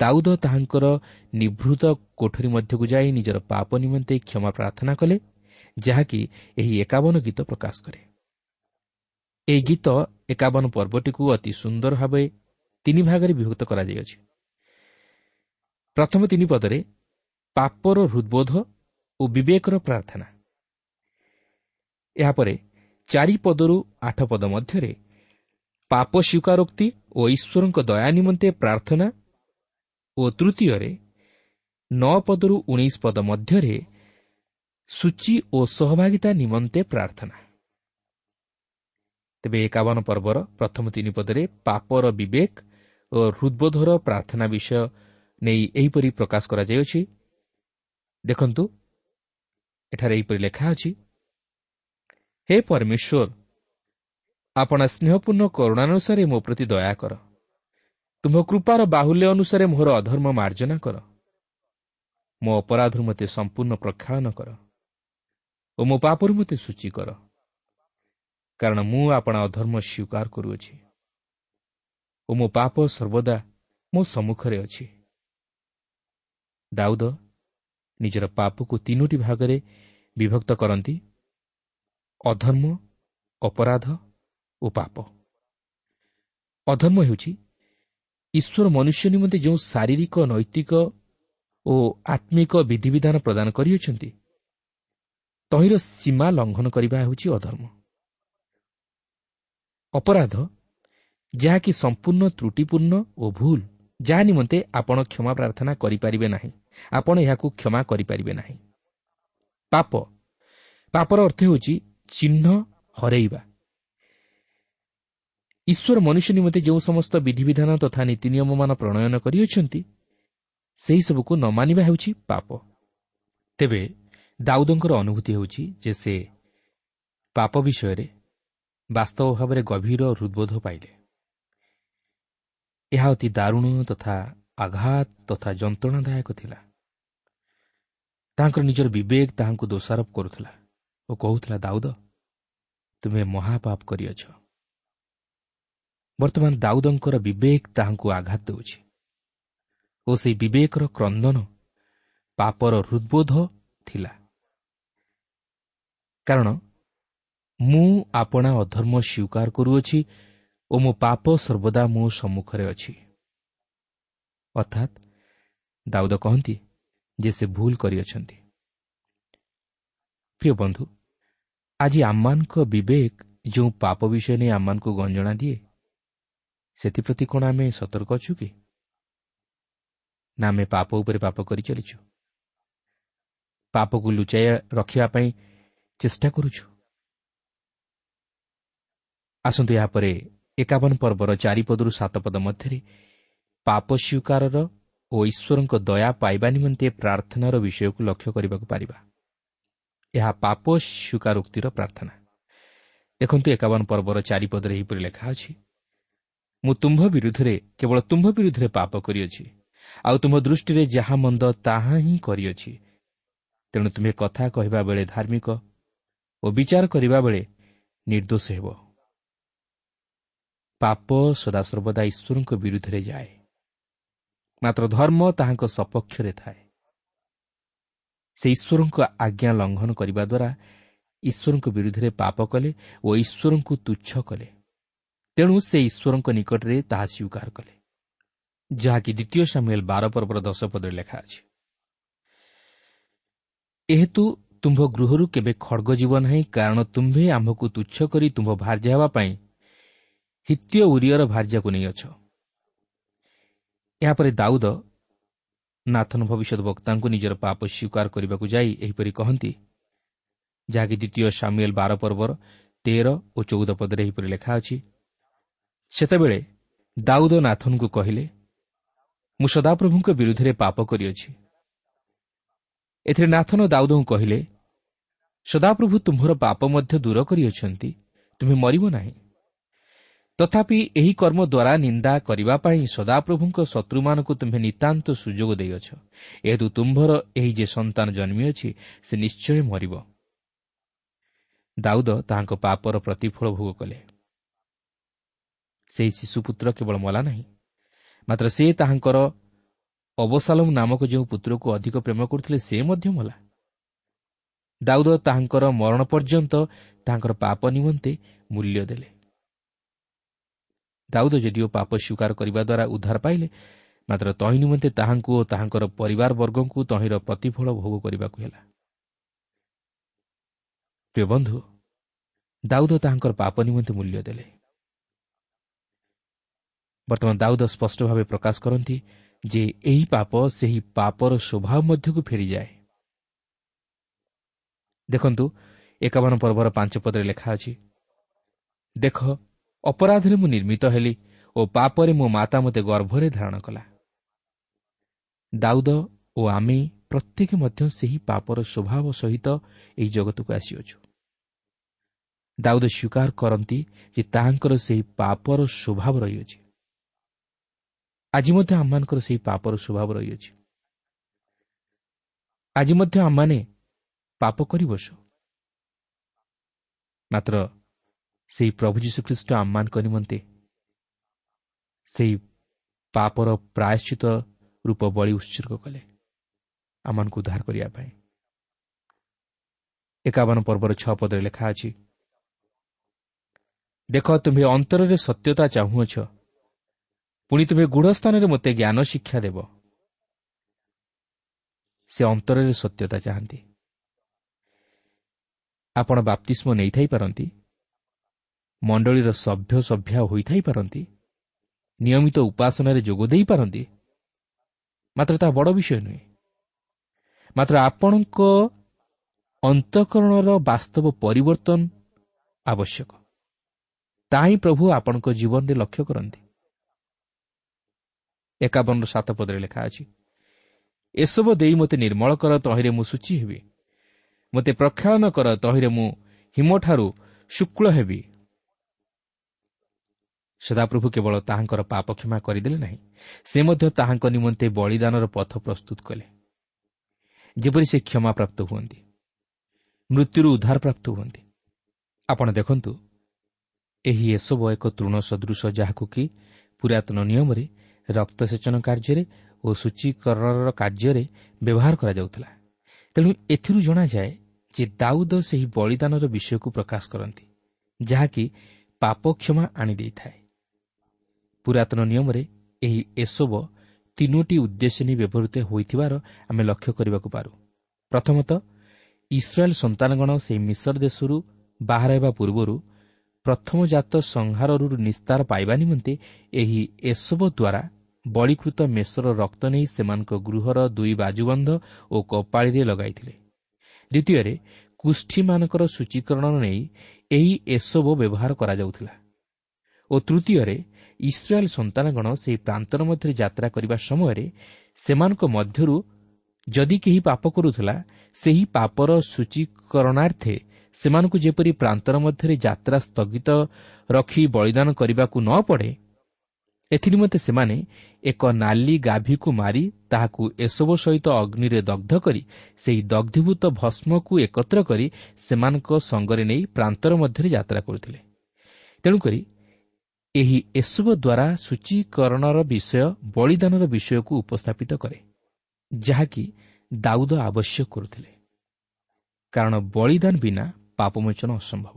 ଦାଉଦ ତାହାଙ୍କର ନିଭୃତ କୋଠରୀ ମଧ୍ୟକୁ ଯାଇ ନିଜର ପାପ ନିମନ୍ତେ କ୍ଷମା ପ୍ରାର୍ଥନା କଲେ, ଯାହାକି ଏହି 51 ଗୀତ ପ୍ରକାଶ କରେ। ଏହି ଗୀତ 51 ପର୍ବଟିକୁ ଅତି ସୁନ୍ଦର ଭାବେ 3 ଭାଗରେ ବିଭକ୍ତ କରାଯାଇଅଛି। ପ୍ରଥମ 3 ପଦରେ ପାପର ହୃଦବୋଧ ଓ ବିବେକର ପ୍ରାର୍ଥନା। ଏହାପରେ 4 ପଦରୁ 8 ପଦ ମଧ୍ୟରେ ପାପ ସ୍ୱୀକାରୋକ୍ତି ଓ ଈଶ୍ୱରଙ୍କ ଦୟା ନିମନ୍ତେ ପ୍ରାର୍ଥନା ଓ ତୃତୀୟରେ 9 ପଦରୁ 19 ପଦ ମଧ୍ୟରେ ସୂଚୀ ଓ ସହଭାଗିତା ନିମନ୍ତେ ପ୍ରାର୍ଥନା। ତେବେ 51 ପର୍ବର ପ୍ରଥମ 3 ପଦରେ ପାପର ବିବେକ ଓ ହୃଦବୋଧର ପ୍ରାର୍ଥନା ବିଷୟ ନେଇ ଏହିପରି ପ୍ରକାଶ କରାଯାଇଅଛି। ଦେଖନ୍ତୁ, ଏଠାରେ ଏହିପରି ଲେଖା ଅଛି, ହେ ପରମେଶ୍ୱର, ଆପଣା ସ୍ନେହପୂର୍ଣ୍ଣ କରୁଣାନୁସାରେ ମୋ ପ୍ରତି ଦୟା କର, ତୁମ୍ଭ କୃପାର ବାହୁଲ୍ୟ ଅନୁସାରେ ମୋର ଅଧର୍ମ ମାର୍ଜନା କର, ମୋ ଅପରାଧରୁ ମୋତେ ସମ୍ପୂର୍ଣ୍ଣ ପ୍ରକ୍ଷାଳନ କର ଓ ମୋ ପାପରୁ ମୋତେ ସୂଚୀ କର, କାରଣ ମୁଁ ଆପଣା ଅଧର୍ମ ସ୍ୱୀକାର କରୁଅଛି ଓ ମୋ ପାପ ସର୍ବଦା ମୋ ସମ୍ମୁଖରେ ଅଛି। ଦାଉଦ ନିଜର ପାପକୁ 3 ଭାଗରେ ବିଭକ୍ତ କରନ୍ତି, ଅଧର୍ମ, ଅପରାଧ ଓ ପାପ। ଅଧର୍ମ ହେଉଛି ଈଶ୍ୱର ମନୁଷ୍ୟ ନିମନ୍ତେ ଯେଉଁ ଶାରୀରିକ, ନୈତିକ ଓ ଆତ୍ମିକ ବିଧିବିଧାନ ପ୍ରଦାନ କରିଅଛନ୍ତି, ତହିଁର ସୀମା ଲଙ୍ଘନ କରିବା ହେଉଛି ଅଧର୍ମ। ଅପରାଧ ଯାହାକି ସମ୍ପୂର୍ଣ୍ଣ ତ୍ରୁଟିପୂର୍ଣ୍ଣ ଓ ଭୁଲ, ଯାହା ନିମନ୍ତେ ଆପଣ କ୍ଷମା ପ୍ରାର୍ଥନା କରିପାରିବେ ନାହିଁ, ଆପଣ ଏହାକୁ କ୍ଷମା କରିପାରିବେ ନାହିଁ। ପାପ, ପାପର ଅର୍ଥ ହେଉଛି ଚିହ୍ନ ହରେଇବା। ଈଶ୍ୱର ମନୁଷ୍ୟ ନିମନ୍ତେ ଯେଉଁ ସମସ୍ତ ବିଧିବିଧାନ ତଥା ନୀତି ନିୟମମାନ ପ୍ରଣୟନ କରିଅଛନ୍ତି, ସେହିସବୁକୁ ନ ମାନିବା ହେଉଛି ପାପ। ତେବେ ଦାଉଦଙ୍କର ଅନୁଭୂତି ହେଉଛି ଯେ ସେ ପାପ ବିଷୟରେ ବାସ୍ତବ ଭାବରେ ଗଭୀର ହୃଦବୋଧ ପାଇଲେ। ଏହା ଅତି ଦାରୁଣ ତଥା ଆଘାତ ତଥା ଯନ୍ତ୍ରଣାଦାୟକ ଥିଲା। ତାଙ୍କର ନିଜର ବିବେକ ତାହାଙ୍କୁ ଦୋଷାରୋପ କରୁଥିଲା ଓ କହୁଥିଲା, ଦାଉଦ, ତୁମେ ମହାପାପ କରିଅଛ। ବର୍ତ୍ତମାନ ଦାଉଦଙ୍କର ବିବେକ ତାହାଙ୍କୁ ଆଘାତ ଦେଉଛି ଓ ସେହି ବିବେକର କ୍ରନ୍ଦନ ପାପର ହୃଦବୋଧ ଥିଲା। କାରଣ ମୁଁ ଆପଣା ଅଧର୍ମ ସ୍ୱୀକାର କରୁଅଛି ଓ ମୋ ପାପ ସର୍ବଦା ମୋ ସମ୍ମୁଖରେ ଅଛି। ଅର୍ଥାତ୍ ଦାଉଦ କହନ୍ତି ଯେ ସେ ଭୁଲ କରିଅଛନ୍ତି। ପ୍ରିୟ ବନ୍ଧୁ, ଆଜି ଆମମାନଙ୍କ ବିବେକ ଯେଉଁ ପାପ ବିଷୟ ନେଇ ଆମମାନଙ୍କୁ ଗଞ୍ଜଣା ଦିଏ, ସେଥିପ୍ରତି କ'ଣ ଆମେ ସତର୍କ ଅଛୁ କି ନା ଆମେ ପାପ ଉପରେ ପାପ କରି ଚାଲିଛୁ, ପାପକୁ ଲୁଚାଇ ରଖିବା ପାଇଁ ଚେଷ୍ଟା କରୁଛୁ? ଆସନ୍ତୁ ଏହାପରେ 51 ପର୍ବର 4 ପଦରୁ 7 ପଦ ମଧ୍ୟରେ ପାପ ସ୍ୱୀକାରର ଓ ଈଶ୍ୱରଙ୍କ ଦୟା ପାଇବା ନିମନ୍ତେ ପ୍ରାର୍ଥନାର ବିଷୟକୁ ଲକ୍ଷ୍ୟ କରିବାକୁ ପାରିବା। ଏହା ପାପ ସ୍ୱୀକାରୋକ୍ତିର ପ୍ରାର୍ଥନା। ଦେଖନ୍ତୁ, 51 ପର୍ବର 4 ପଦରେ ଏହିପରି ଲେଖା ଅଛି, ମୁଁ ତୁମ୍ଭ ବିରୁଦ୍ଧରେ, କେବଳ ତୁମ୍ଭ ବିରୁଦ୍ଧରେ ପାପ କରିଅଛି, ଆଉ ତୁମ୍ଭ ଦୃଷ୍ଟିରେ ଯାହା ମନ୍ଦ ତାହା ହିଁ କରିଅଛି। ତେଣୁ ତୁମେ କଥା କହିବା ବେଳେ ଧାର୍ମିକ ଓ ବିଚାର କରିବା ବେଳେ ନିର୍ଦ୍ଦୋଷ ହେବ। ପାପ ସଦାସର୍ବଦା ଈଶ୍ୱରଙ୍କ ବିରୁଦ୍ଧରେ ଯାଏ, ମାତ୍ର ଧର୍ମ ତାହାଙ୍କ ସପକ୍ଷରେ ଥାଏ। ସେ ଈଶ୍ୱରଙ୍କ ଆଜ୍ଞା ଲଙ୍ଘନ କରିବା ଦ୍ୱାରା ଈଶ୍ୱରଙ୍କ ବିରୁଦ୍ଧରେ ପାପ କଲେ ଓ ଈଶ୍ୱରଙ୍କୁ ତୁଚ୍ଛ କଲେ। ତେଣୁ ସେ ଈଶ୍ୱରଙ୍କ ନିକଟରେ ତାହା ସ୍ୱୀକାର କଲେ, ଯାହାକି ଦ୍ୱିତୀୟ ସାମୁଏଲ 12 ପର୍ବର 10 ପଦରେ ଲେଖା ଅଛି। ଏହେତୁ ତୁମ୍ଭ ଗୃହରୁ କେବେ ଖଡ଼ଗ ଯିବ ନାହିଁ, କାରଣ ତୁମ୍ଭେ ଆମ୍ଭକୁ ତୁଚ୍ଛ କରି ତୁମ୍ଭ ଭାର୍ଯ୍ୟା ହେବା ପାଇଁ ହିତ୍ତୀୟ ଉରିୟର ଭାର୍ଯ୍ୟାକୁ ନେଇଅଛ। ଏହାପରେ ଦାଉଦ ନାଥନ ଭବିଷ୍ୟତ ବକ୍ତାଙ୍କୁ ନିଜର ପାପ ସ୍ୱୀକାର କରିବାକୁ ଯାଇ ଏହିପରି କହନ୍ତି, ଯାହାକି ଦ୍ୱିତୀୟ ସାମୁଏଲ 12 ପର୍ବର 13 ଓ 14 ପଦରେ ଏହିପରି ଲେଖା ଅଛି। ସେତେବେଳେ ଦାଉଦ ନାଥନଙ୍କୁ କହିଲେ, ମୁଁ ସଦାପ୍ରଭୁଙ୍କ ବିରୁଦ୍ଧରେ ପାପ କରିଅଛି। ଏଥିରେ ନାଥନ ଦାଉଦଙ୍କୁ କହିଲେ, ସଦାପ୍ରଭୁ ତୁମ୍ଭର ପାପ ମଧ୍ୟ ଦୂର କରିଅଛନ୍ତି, ତୁମେ ମରିବ ନାହିଁ। ତଥାପି ଏହି କର୍ମ ଦ୍ୱାରା ନିନ୍ଦା କରିବା ପାଇଁ ସଦାପ୍ରଭୁଙ୍କ ଶତ୍ରୁମାନଙ୍କୁ ତୁମ୍ଭେ ନିତାନ୍ତ ସୁଯୋଗ ଦେଇଅଛ। ଏହେତୁ ତୁମ୍ଭର ଏହି ଯେ ସନ୍ତାନ ଜନ୍ମିଅଛି, ସେ ନିଶ୍ଚୟ ମରିବ। ଦାଉଦ ତାହାଙ୍କ ପାପର ପ୍ରତିଫଳ ଭୋଗ କଲେ। ସେହି ଶିଶୁପୁତ୍ର କେବଳ ମଲା ନାହିଁ, ମାତ୍ର ସେ ତାହାଙ୍କର ଅବସାଲମ ନାମକ ଯେଉଁ ପୁତ୍ରକୁ ଅଧିକ ପ୍ରେମ କରୁଥିଲେ, ସେ ମଧ୍ୟ ମଲା। ଦାଉଦ ତାହାଙ୍କର ମରଣ ପର୍ଯ୍ୟନ୍ତ ତାହାଙ୍କର ପାପ ନିମନ୍ତେ ମୂଲ୍ୟ ଦେଲେ। ଦାଉଦ ଯଦିଓ ପାପ ସ୍ୱୀକାର କରିବା ଦ୍ୱାରା ଉଦ୍ଧାର ପାଇଲେ, ମାତ୍ର ତହିଁ ନିମନ୍ତେ ତାହାଙ୍କୁ ଓ ତାହାଙ୍କର ପରିବାରବର୍ଗଙ୍କୁ ତହିଁର ପ୍ରତିଫଳ ଭୋଗ କରିବାକୁ ହେଲା। ପ୍ରିୟ ବନ୍ଧୁ, ଦାଉଦ ତାହାଙ୍କର ପାପ ନିମନ୍ତେ ମୂଲ୍ୟ ଦେଲେ। ବର୍ତ୍ତମାନ ଦାଉଦ ସ୍ପଷ୍ଟ ଭାବେ ପ୍ରକାଶ କରନ୍ତି ଯେ ଏହି ପାପ ସେହି ପାପର ସ୍ୱଭାବ ମଧ୍ୟକୁ ଫେରିଯାଏ। ଦେଖନ୍ତୁ, 51 ପର୍ବର 5 ପଦରେ ଲେଖା ଅଛି, ଦେଖ, ଅପରାଧରେ ମୁଁ ନିର୍ମିତ ହେଲି ଓ ପାପରେ ମୋ ମାତା ମୋତେ ଗର୍ଭରେ ଧାରଣ କଲା। ଦାଉଦ ଓ ଆମେ ପ୍ରତ୍ୟେକ ମଧ୍ୟ ସେହି ପାପର ସ୍ୱଭାବ ସହିତ ଏହି ଜଗତକୁ ଆସିଅଛୁ। ଦାଉଦ ସ୍ୱୀକାର କରନ୍ତି ଯେ ତାହାଙ୍କର ସେହି ପାପର ସ୍ୱଭାବ ରହିଅଛି। ଆଜି ମଧ୍ୟ ଆମମାନଙ୍କର ସେହି ପାପର ସ୍ୱଭାବ ରହିଅଛି। ଆଜି ମଧ୍ୟ ଆମମାନେ ପାପ କରିବସୁ, ମାତ୍ର ସେହି ପ୍ରଭୁ ଯୀଶୁଖ୍ରୀଷ୍ଟ ଆମମାନଙ୍କ ନିମନ୍ତେ ସେହି ପାପର ପ୍ରାୟଶ୍ଚିତ ରୂପ ବଳି ଉତ୍ସର୍ଗ କଲେ ଆମମାନଙ୍କୁ ଉଦ୍ଧାର କରିବା ପାଇଁ। 51 ପର୍ବର 6 ପଦରେ ଲେଖା ଅଛି, ଦେଖ, ତୁମ୍ଭେ ଅନ୍ତରରେ ସତ୍ୟତା ଚାହୁଁଅଛ, ପୁଣି ତୁମ୍ଭେ ଗୂଢ଼ ସ୍ଥାନରେ ମୋତେ ଜ୍ଞାନ ଶିକ୍ଷା ଦେବ। ସେ ଅନ୍ତରରେ ସତ୍ୟତା ଚାହାନ୍ତି। ଆପଣ ବାପ୍ତିସ୍ମ ନେଇଥାଇପାରନ୍ତି, ମଣ୍ଡଳୀର ସଭ୍ୟ ସଭ୍ୟା ହୋଇଥାଇପାରନ୍ତି, ନିୟମିତ ଉପାସନାରେ ଯୋଗ ଦେଇପାରନ୍ତି, ମାତ୍ର ତାହା ବଡ଼ ବିଷୟ ନୁହେଁ। ମାତ୍ର ଆପଣଙ୍କ ଅନ୍ତଃକରଣର ବାସ୍ତବ ପରିବର୍ତ୍ତନ ଆବଶ୍ୟକ। ତାହା ହିଁ ପ୍ରଭୁ ଆପଣଙ୍କ ଜୀବନରେ ଲକ୍ଷ୍ୟ କରନ୍ତି। 51:7 ପଦରେ ଲେଖା ଅଛି, ଏସବୁ ଦେଇ ମୋତେ ନିର୍ମଳ କର, ତହିଁରେ ମୁଁ ଶୁଚି ହେବି। ମୋତେ ପ୍ରକ୍ଷାଳନ କର, ତହିଁରେ ମୁଁ ହିମଠାରୁ ଶୁକ୍ଳ ହେବି। ସଦାପ୍ରଭୁ କେବଳ ତାହାଙ୍କର ପାପ କ୍ଷମା କରିଦେଲେ ନାହିଁ, ସେ ମଧ୍ୟ ତାହାଙ୍କ ନିମନ୍ତେ ବଳିଦାନର ପଥ ପ୍ରସ୍ତୁତ କଲେ, ଯେପରି ସେ କ୍ଷମା ପ୍ରାପ୍ତ ହୁଅନ୍ତି, ମୃତ୍ୟୁରୁ ଉଦ୍ଧାର ପ୍ରାପ୍ତ ହୁଅନ୍ତି। ଆପଣ ଦେଖନ୍ତୁ, ଏହି ଏସବୁ ଏକ ତୃଣ ସଦୃଶ, ଯାହାକୁ କି ପୁରାତନ ନିୟମରେ ରକ୍ତସେଚନ କାର୍ଯ୍ୟରେ ଓ ସୂଚୀକରଣର କାର୍ଯ୍ୟରେ ବ୍ୟବହାର କରାଯାଉଥିଲା। ତେଣୁ ଏଥିରୁ ଜଣାଯାଏ ଯେ ଦାଉଦ ସେହି ବଳିଦାନର ବିଷୟକୁ ପ୍ରକାଶ କରନ୍ତି, ଯାହାକି ପାପ କ୍ଷମା ଆଣିଦେଇଥାଏ। ପୁରାତନ ନିୟମରେ ଏହି ଏସବ 3ଟି ଉଦ୍ଦେଶ୍ୟ ନେଇ ବ୍ୟବହୃତ ହୋଇଥିବାର ଆମେ ଲକ୍ଷ୍ୟ କରିବାକୁ ପାରୁ। ପ୍ରଥମତଃ, ଇସ୍ରାଏଲ ସନ୍ତାନଗଣ ସେହି ମିଶର ଦେଶରୁ ବାହାର ହେବା ପୂର୍ବରୁ ପ୍ରଥମଜାତ ସଂହାରରୁ ନିସ୍ତାର ପାଇବା ନିମନ୍ତେ ଏହି ଏସବ ଦ୍ୱାରା ବଳିକୃତ ମେଷର ରକ୍ତ ନେଇ ସେମାନଙ୍କ ଗୃହର 2 ବାଜୁବନ୍ଧ ଓ କପାଳିରେ ଲଗାଇଥିଲେ। ଦ୍ୱିତୀୟରେ, କୁଷ୍ଠୀମାନଙ୍କର ସୂଚୀକରଣ ନେଇ ଏହି ଏସବ ବ୍ୟବହାର କରାଯାଉଥିଲା। ଓ ତୃତୀୟରେ, ଇସ୍ରାଏଲ ସନ୍ତାନଗଣ ସେହି ପ୍ରାନ୍ତର ମଧ୍ୟରେ ଯାତ୍ରା କରିବା ସମୟରେ ସେମାନଙ୍କ ମଧ୍ୟରୁ ଯଦି କେହି ପାପ କରୁଥିଲା, ସେହି ପାପର ସୂଚୀକରଣାର୍ଥେ ସେମାନଙ୍କୁ ଯେପରି ପ୍ରାନ୍ତର ମଧ୍ୟରେ ଯାତ୍ରା ସ୍ଥଗିତ ରଖି ବଳିଦାନ କରିବାକୁ ନ ପଡ଼େ, ଏଥିନିମନ୍ତେ ସେମାନେ ଏକ ନାଲି ଗାଭୀକୁ ମାରି ତାହାକୁ ଏସବୁ ସହିତ ଅଗ୍ନିରେ ଦଗ୍ଧ କରି ସେହି ଦଗ୍ଧୀଭୂତ ଭସ୍ମକୁ ଏକତ୍ର କରି ସେମାନଙ୍କ ସଙ୍ଗରେ ନେଇ ପ୍ରାନ୍ତର ମଧ୍ୟରେ ଯାତ୍ରା କରୁଥିଲେ। ତେଣୁକରି ଏହି ଏସବୁ ଦ୍ୱାରା ସୂଚୀକରଣର ବିଷୟ ବଳିଦାନର ବିଷୟକୁ ଉପସ୍ଥାପିତ କରେ, ଯାହାକି ଦାଉଦ ଆବଶ୍ୟକ କରୁଥିଲେ, କାରଣ ବଳିଦାନ ବିନା ପାପମୋଚନ ଅସମ୍ଭବ।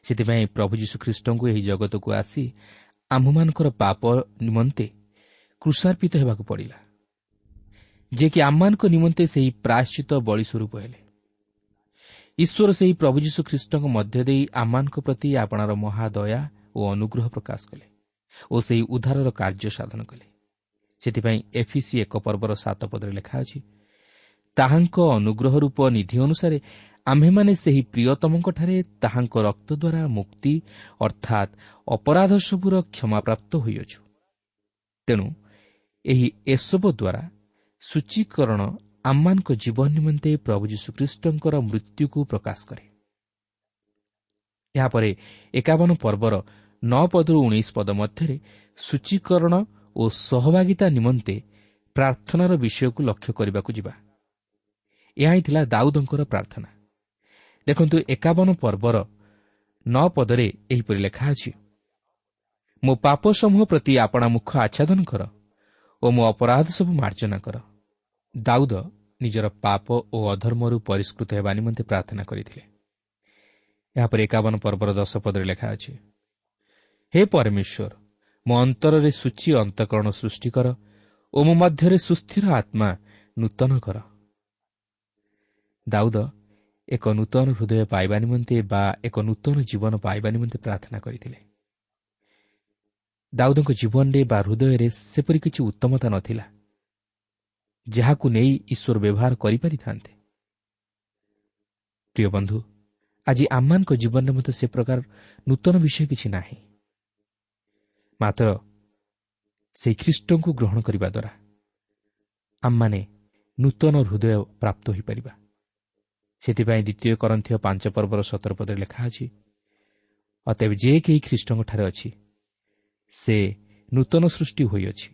ସେଥିପାଇଁ ପ୍ରଭୁ ଯୀଶୁଖ୍ରୀଷ୍ଟଙ୍କୁ ଏହି ଜଗତକୁ ଆସି ଆମ୍ଭମାନଙ୍କର ପାପ ନିମନ୍ତେ କୃଷାର୍ପିତ ହେବାକୁ ପଡ଼ିଲା, ଯିଏକି ଆମମାନଙ୍କ ନିମନ୍ତେ ସେହି ପ୍ରାୟଶ୍ଚିତ ବଳି ସ୍ୱରୂପ ହେଲେ। ଈଶ୍ୱର ସେହି ପ୍ରଭୁ ଯୀଶୁଖ୍ରୀଷ୍ଟଙ୍କ ମଧ୍ୟ ଦେଇ ଆମମାନଙ୍କ ପ୍ରତି ଆପଣାର ମହାଦୟା ଓ ଅନୁଗ୍ରହ ପ୍ରକାଶ କଲେ ଓ ସେହି ଉଦ୍ଧାରର କାର୍ଯ୍ୟ ସାଧନ କଲେ। ସେଥିପାଇଁ ଏଫିସି 1:7 ପଦରେ ଲେଖା ଅଛି, ତାହାଙ୍କ ଅନୁଗ୍ରହ ରୂପ ନିଧି ଅନୁସାରେ ଆମ୍ଭେମାନେ ସେହି ପ୍ରିୟତମଙ୍କଠାରେ ତାହାଙ୍କ ରକ୍ତ ଦ୍ୱାରା ମୁକ୍ତି ଅର୍ଥାତ୍ ଅପରାଧ ସବୁର କ୍ଷମାପ୍ରାପ୍ତ ହୋଇଅଛୁ। ତେଣୁ ଏହି ଏସବୁ ଦ୍ୱାରା ସୂଚୀକରଣ ଆମମାନଙ୍କ ଜୀବନ ନିମନ୍ତେ ପ୍ରଭୁ ଯୀଶୁଖ୍ରୀଷ୍ଟଙ୍କର ମୃତ୍ୟୁକୁ ପ୍ରକାଶ କରେ। ଏହାପରେ 51 ପର୍ବର 9 ପଦରୁ 19 ପଦ ମଧ୍ୟରେ ସୂଚୀକରଣ ଓ ସହଭାଗିତା ନିମନ୍ତେ ପ୍ରାର୍ଥନାର ବିଷୟକୁ ଲକ୍ଷ୍ୟ କରିବାକୁ ଯିବା। ଏହା ହିଁ ଥିଲା ଦାଉଦଙ୍କର ପ୍ରାର୍ଥନା। ଦେଖନ୍ତୁ, 51 ପର୍ବର 9 ପଦରେ ଏହିପରି ଲେଖା ଅଛି, ମୋ ପାପ ସମୂହ ପ୍ରତି ଆପଣା ମୁଖ ଆଚ୍ଛାଦନ କର ଓ ମୋ ଅପରାଧ ସବୁ ମାର୍ଜନା କର। ଦାଉଦ ନିଜର ପାପ ଓ ଅଧର୍ମରୁ ପରିଷ୍କୃତ ହେବା ନିମନ୍ତେ ପ୍ରାର୍ଥନା କରିଥିଲେ। ଏହାପରେ 51 ପର୍ବର 10 ପଦରେ ଲେଖା ଅଛି, ହେ ପରମେଶ୍ୱର, ମୋ ଅନ୍ତରରେ ସୂଚୀ ଅନ୍ତଃକରଣ ସୃଷ୍ଟି କର ଓ ମୋ ମଧ୍ୟରେ ସୁସ୍ଥିର ଆତ୍ମା ନୂତନ କର। ଦାଉଦ ଏକ ନୂତନ ହୃଦୟ ପାଇବା ନିମନ୍ତେ ବା ଏକ ନୂତନ ଜୀବନ ପାଇବା ନିମନ୍ତେ ପ୍ରାର୍ଥନା କରିଥିଲେ। ଦାଉଦଙ୍କ ଜୀବନରେ ବା ହୃଦୟରେ ସେପରି କିଛି ଉତ୍ତମତା ନଥିଲା ଯାହାକୁ ନେଇ ଈଶ୍ୱର ବ୍ୟବହାର କରିପାରିଥାନ୍ତେ। ପ୍ରିୟ ବନ୍ଧୁ, ଆଜି ଆମମାନଙ୍କ ଜୀବନରେ ମଧ୍ୟ ସେ ପ୍ରକାର ନୂତନ ବିଷୟ କିଛି ନାହିଁ। ମାତ୍ର ସେହି ଖ୍ରୀଷ୍ଟଙ୍କୁ ଗ୍ରହଣ କରିବା ଦ୍ୱାରା ଆମମାନେ ନୂତନ ହୃଦୟ ପ୍ରାପ୍ତ ହୋଇପାରିବା। ସେଥିପାଇଁ ଦ୍ୱିତୀୟ କରନ୍ଥୀୟ 5 ପର୍ବର 17 ପଦରେ ଲେଖା ଅଛି, ଅତଏବ ଯେ କେହି ଖ୍ରୀଷ୍ଟଙ୍କଠାରେ ଅଛି ସେ ନୂତନ ସୃଷ୍ଟି ହୋଇଅଛି,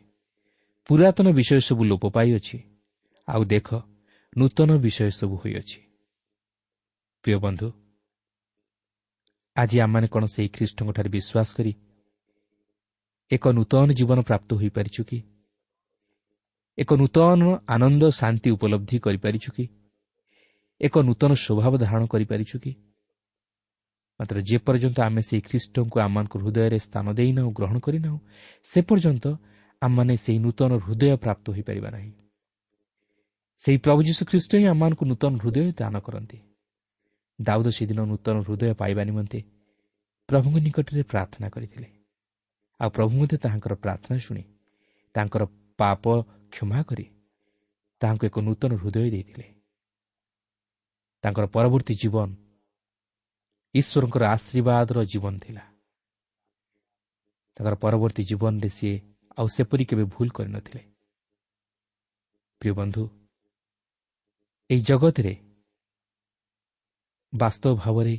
ପୁରାତନ ବିଷୟ ସବୁ ଲୋପ ପାଇଅଛି, ଆଉ ଦେଖ ନୂତନ ବିଷୟ ସବୁ ହୋଇଅଛି। ପ୍ରିୟ ବନ୍ଧୁ, ଆଜି ଆମମାନେ କ'ଣ ସେହି ଖ୍ରୀଷ୍ଟଙ୍କଠାରେ ବିଶ୍ୱାସ କରି ଏକ ନୂତନ ଜୀବନ ପ୍ରାପ୍ତ ହୋଇପାରିଛୁ କି? ଏକ ନୂତନ ଆନନ୍ଦ ଶାନ୍ତି ଉପଲବ୍ଧି କରିପାରିଛୁ କି? ଏକ ନୂତନ ସ୍ୱଭାବ ଧାରଣ କରିପାରିଛୁ କି? ମାତ୍ର ଯେପର୍ଯ୍ୟନ୍ତ ଆମେ ସେହି ଖ୍ରୀଷ୍ଟଙ୍କୁ ଆମମାନଙ୍କ ହୃଦୟରେ ସ୍ଥାନ ଦେଇନାହୁଁ, ଗ୍ରହଣ କରିନାହୁଁ, ସେ ପର୍ଯ୍ୟନ୍ତ ଆମମାନେ ସେହି ନୂତନ ହୃଦୟ ପ୍ରାପ୍ତ ହୋଇପାରିବା ନାହିଁ। ସେହି ପ୍ରଭୁ ଯୀଶୁ ଖ୍ରୀଷ୍ଟ ହିଁ ଆମମାନଙ୍କୁ ନୂତନ ହୃଦୟ ଦାନ କରନ୍ତି। ଦାଉଦ ସେଦିନ ନୂତନ ହୃଦୟ ପାଇବା ନିମନ୍ତେ ପ୍ରଭୁଙ୍କ ନିକଟରେ ପ୍ରାର୍ଥନା କରିଥିଲେ। ଆଉ ପ୍ରଭୁ ମଧ୍ୟ ତାହାଙ୍କର ପ୍ରାର୍ଥନା ଶୁଣି ତାଙ୍କର ପାପ କ୍ଷମା କରି ତାହାଙ୍କୁ ଏକ ନୂତନ ହୃଦୟ ଦେଇଥିଲେ। ତାଙ୍କର ପରବର୍ତ୍ତୀ ଜୀବନ ଈଶ୍ୱରଙ୍କର ଆଶୀର୍ବାଦର ଜୀବନ ଥିଲା। ତାଙ୍କର ପରବର୍ତ୍ତୀ ଜୀବନରେ ସିଏ ଆଉ ସେପରି କେବେ ଭୁଲ କରିନଥିଲେ। ପ୍ରିୟ ବନ୍ଧୁ, ଏହି ଜଗତରେ ବାସ୍ତବ ଭାବରେ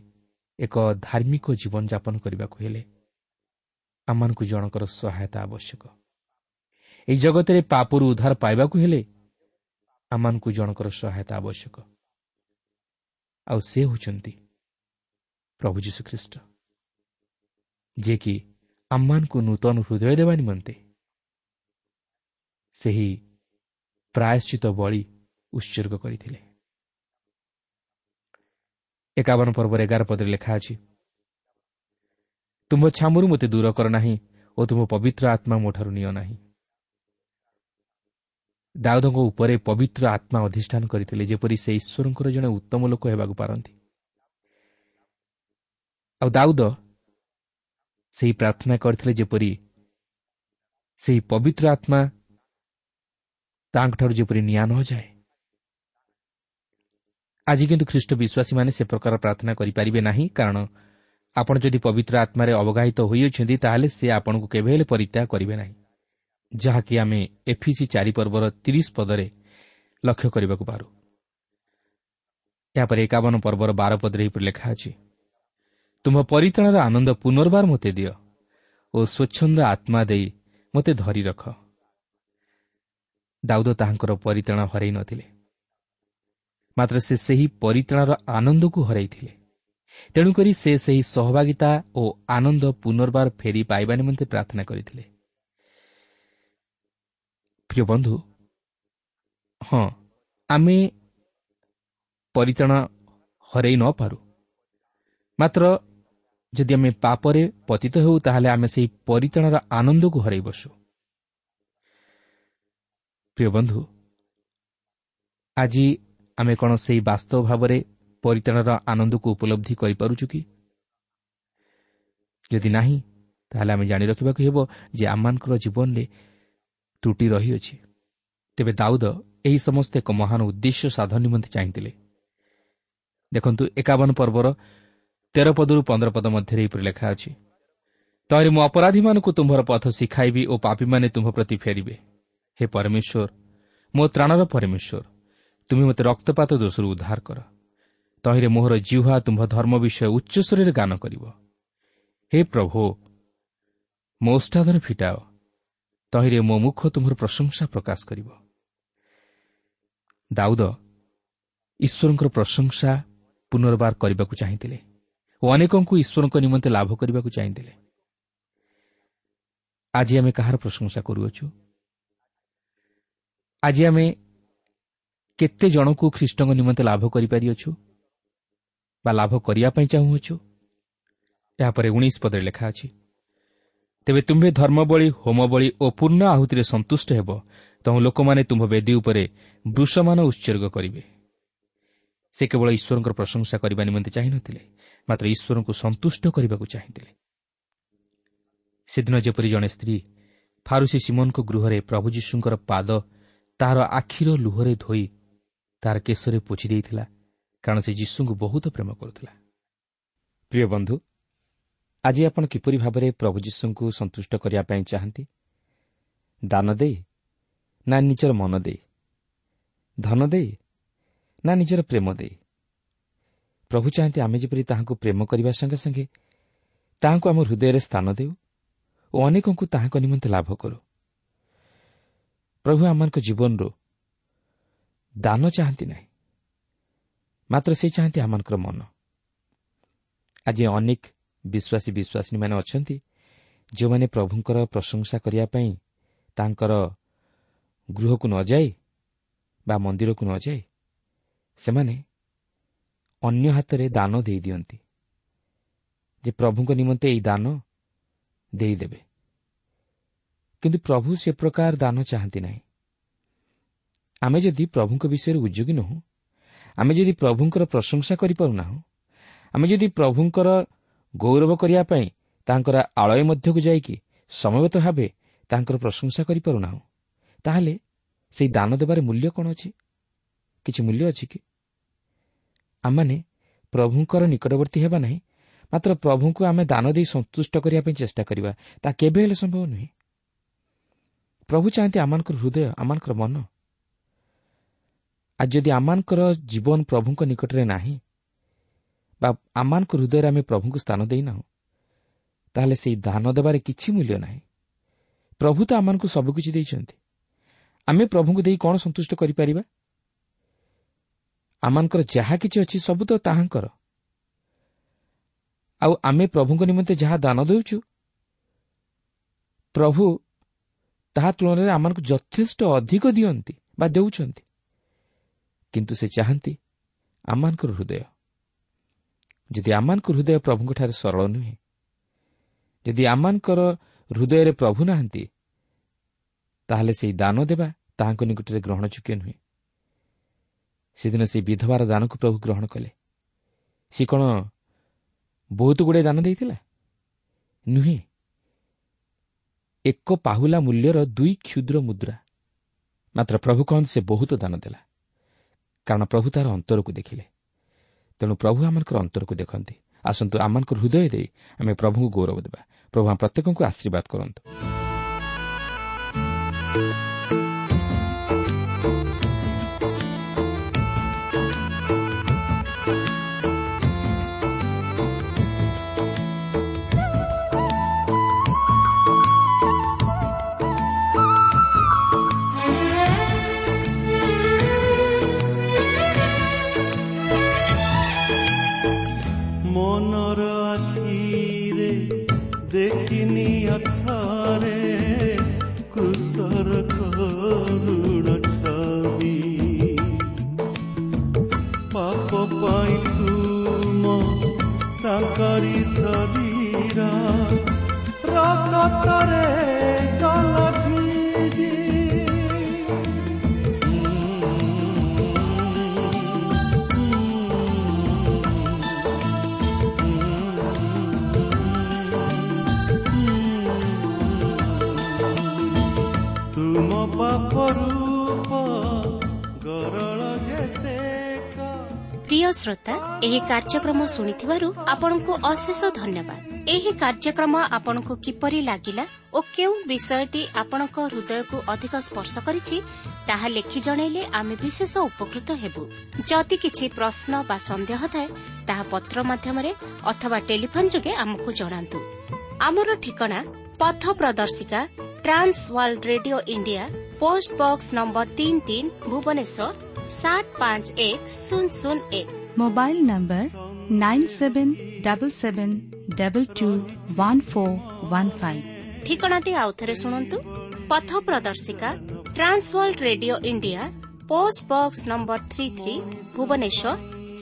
ଏକ ଧାର୍ମିକ ଜୀବନଯାପନ କରିବାକୁ ହେଲେ ଆମମାନଙ୍କୁ ଜଣଙ୍କର ସହାୟତା ଆବଶ୍ୟକ। ଏହି ଜଗତରେ ପାପରୁ ଉଦ୍ଧାର ପାଇବାକୁ ହେଲେ ଆମମାନଙ୍କୁ ଜଣଙ୍କର ସହାୟତା ଆବଶ୍ୟକ, ଆଉ ସେ ହେଉଛନ୍ତି ପ୍ରଭୁ ଯୀଶୁଖ୍ରୀଷ୍ଟ, ଯିଏକି ଆମମାନଙ୍କୁ ନୂତନ ହୃଦୟ ଦେବା ନିମନ୍ତେ ସେହି ପ୍ରାୟଶ୍ଚିତ ବଳି ଉତ୍ସର୍ଗ କରିଥିଲେ। 51 ପର୍ବର 11 ପଦରେ ଲେଖା ଅଛି, ତୁମ୍ଭ ଛାମୁରୁ ମୋତେ ଦୂର କର ନାହିଁ ଓ ତୁମ ପବିତ୍ର ଆତ୍ମା ମୋଠାରୁ ନିଅ ନାହିଁ। ଦାଉଦଙ୍କ ଉପରେ ପବିତ୍ର ଆତ୍ମା ଅଧିଷ୍ଠାନ କରିଥିଲେ, ଯେପରି ସେ ଈଶ୍ୱରଙ୍କର ଜଣେ ଉତ୍ତମ ଲୋକ ହେବାକୁ ପାରନ୍ତି। ଆଉ ଦାଉଦ ସେହି ପ୍ରାର୍ଥନା କରିଥିଲେ ଯେପରି ସେହି ପବିତ୍ର ଆତ୍ମା ତାଙ୍କଠାରୁ ଯେପରି ନିଆଁ ନଯାଏ। ଆଜି କିନ୍ତୁ ଖ୍ରୀଷ୍ଟ ବିଶ୍ୱାସୀମାନେ ସେ ପ୍ରକାର ପ୍ରାର୍ଥନା କରିପାରିବେ ନାହିଁ, କାରଣ ଆପଣ ଯଦି ପବିତ୍ର ଆତ୍ମାରେ ଅବଗାହିତ ହୋଇଅଛନ୍ତି ତାହେଲେ ସେ ଆପଣଙ୍କୁ କେବେ ହେଲେ ପରିତ୍ୟାଗ କରିବେ ନାହିଁ, ଯାହାକି ଆମେ ଏଫିସି 4 ପର୍ବର 30 ପଦରେ ଲକ୍ଷ୍ୟ କରିବାକୁ ପାରୁ। ଏହାପରେ 51 ପର୍ବର 12 ପଦରେ ଏହିପରି ଲେଖା ଅଛି, ତୁମ୍ଭ ପରିତ୍ରାଣର ଆନନ୍ଦ ପୁନର୍ବାର ମୋତେ ଦିଅ ଓ ସ୍ୱଚ୍ଛନ୍ଦ ଆତ୍ମା ଦେଇ ମୋତେ ଧରି ରଖ। ଦାଉଦ ତାହାଙ୍କର ପରିତ୍ରାଣ ହରାଇ ନଥିଲେ, ମାତ୍ର ସେ ସେହି ପରିତ୍ରାଣର ଆନନ୍ଦକୁ ହରାଇଥିଲେ। ତେଣୁକରି ସେ ସେହି ସହଭାଗିତା ଓ ଆନନ୍ଦ ପୁନର୍ବାର ଫେରି ପାଇବା ନିମନ୍ତେ ପ୍ରାର୍ଥନା କରିଥିଲେ। ପ୍ରିୟ ବନ୍ଧୁ, ହଁ, ଆମେ ପରିତ୍ରାଣ ହରାଇ ନପାରୁ, ମାତ୍ର ଯଦି ଆମେ ପାପରେ ପତିତ ହେଉ ତାହେଲେ ଆମେ ସେହି ପରିତ୍ରାଣର ଆନନ୍ଦକୁ ହରାଇ ବସୁ। ପ୍ରିୟ ବନ୍ଧୁ, ଆଜି ଆମେ କ'ଣ ସେହି ବାସ୍ତବ ଭାବରେ ପରିତ୍ରାଣର ଆନନ୍ଦକୁ ଉପଲବ୍ଧି କରିପାରୁଛୁ କି? ଯଦି ନାହିଁ, ତାହେଲେ ଆମେ ଜାଣି ରଖିବାକୁ ହେବ ଯେ ଆମମାନଙ୍କର ଜୀବନରେ ତ୍ରୁଟି ରହିଅଛି। ତେବେ ଦାଉଦ ଏହି ସମସ୍ତ ଏକ ମହାନ ଉଦ୍ଦେଶ୍ୟ ସାଧନ ନିମନ୍ତେ ଚାହିଁଥିଲେ। ଦେଖନ୍ତୁ 51 ପର୍ବର 13 ପଦରୁ 15 ପଦ ମଧ୍ୟରେ ଏହିପରି ଲେଖା ଅଛି, ତହିଁରେ ମୁଁ ଅପରାଧୀମାନଙ୍କୁ ତୁମ୍ଭର ପଥ ଶିଖାଇବି ଓ ପାପୀମାନେ ତୁମ୍ଭ ପ୍ରତି ଫେରିବେ। ହେ ପରମେଶ୍ୱର, ମୋ ତ୍ରାଣର ପରମେଶ୍ୱର, ତୁମେ ମୋତେ ରକ୍ତପାତ ଦୋଷରୁ ଉଦ୍ଧାର କର। ତହିଁରେ ମୋହର ଜିହ୍ୱା ତୁମ୍ଭ ଧର୍ମ ବିଷୟ ଉଚ୍ଚସ୍ୱରରେ ଗାନ କରିବ। ହେ ପ୍ରଭୁ, ମୋ ଓଷ୍ଠାଧର ଫିଟାଅ, ତହିଁରେ ମୋ ମୁଖ ତୁମ୍ଭର ପ୍ରଶଂସା ପ୍ରକାଶ କରିବ। ଦାଉଦ ଈଶ୍ୱରଙ୍କର ପ୍ରଶଂସା ପୁନର୍ବାର କରିବାକୁ ଚାହିଁଥିଲେ ଓ ଅନେକଙ୍କୁ ଈଶ୍ୱରଙ୍କ ନିମନ୍ତେ ଲାଭ କରିବାକୁ ଚାହିଁଥିଲେ। ଆଜି ଆମେ କାହାର ପ୍ରଶଂସା କରୁଅଛୁ? ଆଜି ଆମେ କେତେ ଜଣଙ୍କୁ ଖ୍ରୀଷ୍ଟଙ୍କ ନିମନ୍ତେ ଲାଭ କରିପାରିଅଛୁ ବା ଲାଭ କରିବା ପାଇଁ ଚାହୁଁଅଛୁ? ଏହାପରେ 19 ପଦରେ ଲେଖା ଅଛି, ତେବେ ତୁମ୍ଭେ ଧର୍ମବଳି, ହୋମବଳି ଓ ପୂର୍ଣ୍ଣ ଆହୁତିରେ ସନ୍ତୁଷ୍ଟ ହେବ, ତହୁଁ ଲୋକମାନେ ତୁମ୍ଭ ବେଦୀ ଉପରେ ବୃଷମାନ ଉତ୍ସର୍ଗ କରିବେ। ସେ କେବଳ ଈଶ୍ୱରଙ୍କର ପ୍ରଶଂସା କରିବା ନିମନ୍ତେ ଚାହିଁନଥିଲେ, ମାତ୍ର ଈଶ୍ୱରଙ୍କୁ ସନ୍ତୁଷ୍ଟ କରିବାକୁ ଚାହିଁଥିଲେ। ସେଦିନ ଯେପରି ଜଣେ ସ୍ତ୍ରୀ ଫାରୁସୀ ସିମୋନଙ୍କ ଗୃହରେ ପ୍ରଭୁ ଯୀଶୁଙ୍କର ପାଦ ତାହାର ଆଖିର ଲୁହରେ ଧୋଇ ତାହାର କେଶରେ ପୋଛି ଦେଇଥିଲା, କାରଣ ସେ ଯୀଶୁଙ୍କୁ ବହୁତ ପ୍ରେମ କରୁଥିଲା। ପ୍ରିୟ ବନ୍ଧୁ, ଆଜି ଆପଣ କିପରି ଭାବରେ ପ୍ରଭୁ ଯୀଶୁଙ୍କୁ ସନ୍ତୁଷ୍ଟ କରିବା ପାଇଁ ଚାହାନ୍ତି? ଦାନ ଦେଇ ନା ନିଜର ମନ ଦେଇ, ଧନ ଦେଇ ନା ନିଜର ପ୍ରେମ ଦେଇ? ପ୍ରଭୁ ଚାହାନ୍ତି ଆମେ ଯେପରି ତାହାଙ୍କୁ ପ୍ରେମ କରିବା ସଙ୍ଗେ ସଙ୍ଗେ ତାହାଙ୍କୁ ଆମ ହୃଦୟରେ ସ୍ଥାନ ଦେଉ ଓ ଅନେକଙ୍କୁ ତାହାଙ୍କ ନିମନ୍ତେ ଲାଭ କରୁ। ପ୍ରଭୁ ଆମମାନଙ୍କ ଜୀବନରୁ ଦାନ ଚାହାନ୍ତି ନାହିଁ, ମାତ୍ର ସେ ଚାହାନ୍ତି ଆମମାନଙ୍କର ମନ। ଆଜି ଅନେକ ବିଶ୍ୱାସୀ ବିଶ୍ୱାସିନୀମାନେ ଅଛନ୍ତି ଯେଉଁମାନେ ପ୍ରଭୁଙ୍କର ପ୍ରଶଂସା କରିବା ପାଇଁ ତାଙ୍କର ଗୃହକୁ ନଯାଇ ବା ମନ୍ଦିରକୁ ନଯାଇ ସେମାନେ ଅନ୍ୟ ହାତରେ ଦାନ ଦେଇଦିଅନ୍ତି, ଯେ ପ୍ରଭୁଙ୍କ ନିମନ୍ତେ ଏହି ଦାନ ଦେଇଦେବେ। କିନ୍ତୁ ପ୍ରଭୁ ସେ ପ୍ରକାର ଦାନ ଚାହାନ୍ତି ନାହିଁ। ଆମେ ଯଦି ପ୍ରଭୁଙ୍କ ବିଷୟରେ ଉଦ୍ଯୋଗୀ ନୋହୁଁ, ଆମେ ଯଦି ପ୍ରଭୁଙ୍କର ପ୍ରଶଂସା କରିପାରୁନାହୁଁ, ଆମେ ଯଦି ପ୍ରଭୁଙ୍କର ଗୌରବ କରିବା ପାଇଁ ତାଙ୍କର ଆଳୟ ମଧ୍ୟକୁ ଯାଇକି ସମବେତ ଭାବେ ତାଙ୍କର ପ୍ରଶଂସା କରିପାରୁନାହୁଁ, ତାହେଲେ ସେହି ଦାନ ଦେବାରେ ମୂଲ୍ୟ କ'ଣ ଅଛି? କିଛି ମୂଲ୍ୟ ଅଛି କି? ଆମମାନେ ପ୍ରଭୁଙ୍କର ନିକଟବର୍ତ୍ତୀ ହେବା ନାହିଁ, ମାତ୍ର ପ୍ରଭୁଙ୍କୁ ଆମେ ଦାନ ଦେଇ ସନ୍ତୁଷ୍ଟ କରିବା ପାଇଁ ଚେଷ୍ଟା କରିବା, ତାହା କେବେ ହେଲେ ସମ୍ଭବ ନୁହେଁ। ପ୍ରଭୁ ଚାହାନ୍ତି ଆମମାନଙ୍କର ହୃଦୟ, ଆମମାନଙ୍କର ମନ। ଆଜି ଯଦି ଆମମାନଙ୍କର ଜୀବନ ପ୍ରଭୁଙ୍କ ନିକଟରେ ନାହିଁ ବା ଆମମାନଙ୍କ ହୃଦୟରେ ଆମେ ପ୍ରଭୁଙ୍କୁ ସ୍ଥାନ ଦେଇନାହୁଁ, ତାହେଲେ ସେହି ଦାନ ଦେବାରେ କିଛି ମୂଲ୍ୟ ନାହିଁ। ପ୍ରଭୁ ତ ଆମମାନଙ୍କୁ ସବୁକିଛି ଦେଇଛନ୍ତି, ଆମେ ପ୍ରଭୁଙ୍କୁ ଦେଇ କ'ଣ ସନ୍ତୁଷ୍ଟ କରିପାରିବା? ଆମମାନଙ୍କର ଯାହା କିଛି ଅଛି ସବୁ ତ ତାହାଙ୍କର। ଆଉ ଆମେ ପ୍ରଭୁଙ୍କ ନିମନ୍ତେ ଯାହା ଦାନ ଦେଉଛୁ, ପ୍ରଭୁ ତାହା ତୁଳନାରେ ଆମମାନଙ୍କୁ ଯଥେଷ୍ଟ ଅଧିକ ଦିଅନ୍ତି ବା ଦେଉଛନ୍ତି। କିନ୍ତୁ ସେ ଚାହାନ୍ତି ଆମମାନଙ୍କର ହୃଦୟ। ଯଦି ଆମମାନଙ୍କ ହୃଦୟ ପ୍ରଭୁଙ୍କଠାରେ ସରଳ ନୁହେଁ, ଯଦି ଆମମାନଙ୍କର ହୃଦୟରେ ପ୍ରଭୁ ନାହାନ୍ତି, ତାହେଲେ ସେହି ଦାନ ଦେବା ତାହାଙ୍କ ନିକଟରେ ଗ୍ରହଣଯୋଗ୍ୟ ନୁହେଁ। ସେଦିନ ସେହି ବିଧବାର ଦାନକୁ ପ୍ରଭୁ ଗ୍ରହଣ କଲେ। ସେ କ'ଣ ବହୁତ ଗୁଡ଼ିଏ ଦାନ ଦେଇଥିଲା? ନୁହେଁ, ଏକ ପାହୁଲା ମୂଲ୍ୟର 2 କ୍ଷୁଦ୍ର ମୁଦ୍ରା। ମାତ୍ର ପ୍ରଭୁ କହନ୍ତି ସେ ବହୁତ ଦାନ ଦେଲା, କାରଣ ପ୍ରଭୁ ତାର ଅନ୍ତରକୁ ଦେଖିଲେ। ତେଣୁ ପ୍ରଭୁ ଆମମାନଙ୍କର ଅନ୍ତରକୁ ଦେଖନ୍ତି। ଆସନ୍ତୁ ଆମମାନଙ୍କ ହୃଦୟ ଦେଇ ଆମେ ପ୍ରଭୁଙ୍କୁ ଗୌରବ ଦେବା। ପ୍ରଭୁ ଆମ ପ୍ରତ୍ୟେକଙ୍କୁ ଆଶୀର୍ବାଦ କରନ୍ତୁ। ପ୍ରିୟ ଶ୍ରୋତା, ଏହି କାର୍ଯ୍ୟକ୍ରମ ଶୁଣିଥିବାରୁ ଆପଣଙ୍କୁ ଅଶେଷ ଧନ୍ୟବାଦ। ଏହି କାର୍ଯ୍ୟକ୍ରମ ଆପଣଙ୍କୁ କିପରି ଲାଗିଲା ଓ କେଉଁ ବିଷୟଟି ଆପଣଙ୍କ ହୃଦୟକୁ ଅଧିକ ସ୍ପର୍ଶ କରିଛି, ତାହା ଲେଖି ଜଣାଇଲେ ଆମେ ବିଶେଷ ଉପକୃତ ହେବୁ। ଯଦି କିଛି ପ୍ରଶ୍ନ ବା ସନ୍ଦେହ ଥାଏ, ତାହା ପତ୍ର ମାଧ୍ୟମରେ ଅଥବା ଟେଲିଫୋନ୍ ଯୋଗେ ଆମକୁ ଜଣାନ୍ତୁ। ଆମର ଠିକଣା ପଥ ପ୍ରଦର୍ଶିକା, Trans World Radio India, post box number 33, Bhubaneswar 751001। Mobile number 9777221415। ଠିକଣାଟି ଆଉଥରେ ଶୁଣନ୍ତୁ। ପଥ ପ୍ରଦର୍ଶିକା, Trans World Radio India, post box number 33, Bhubaneswar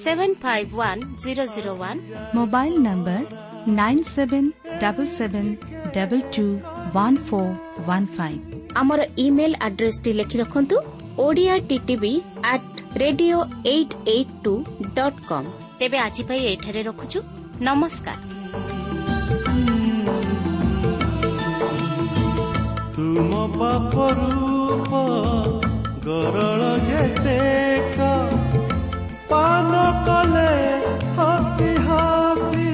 751001। Mobile number 9777221415। ଆମର ଇମେଲ୍ ଆଡ୍ରେସଟି ଲେଖି ରଖନ୍ତୁ, Odia TTV at radio 882.com। ତେବେ ଆଜି ପାଇଁ ଏଠାରେ ରଖୁଛୁ। ନମସ୍କାର। ତୁମ ପାପ ରୂପ ଗରଳ ଯେତେକ ପାନ କଲେ ହସି ହସି।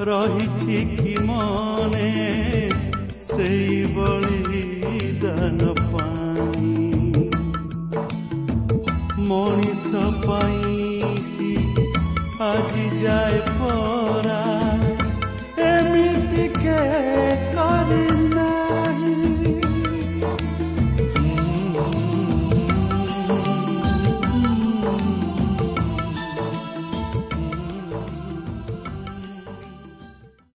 ରହିଛି କି ମନେ ସେଇ ବଳିଦାନ ପାଇଁ, ମଣିଷ ପାଇଁ କି ଆଜି ଯାଏ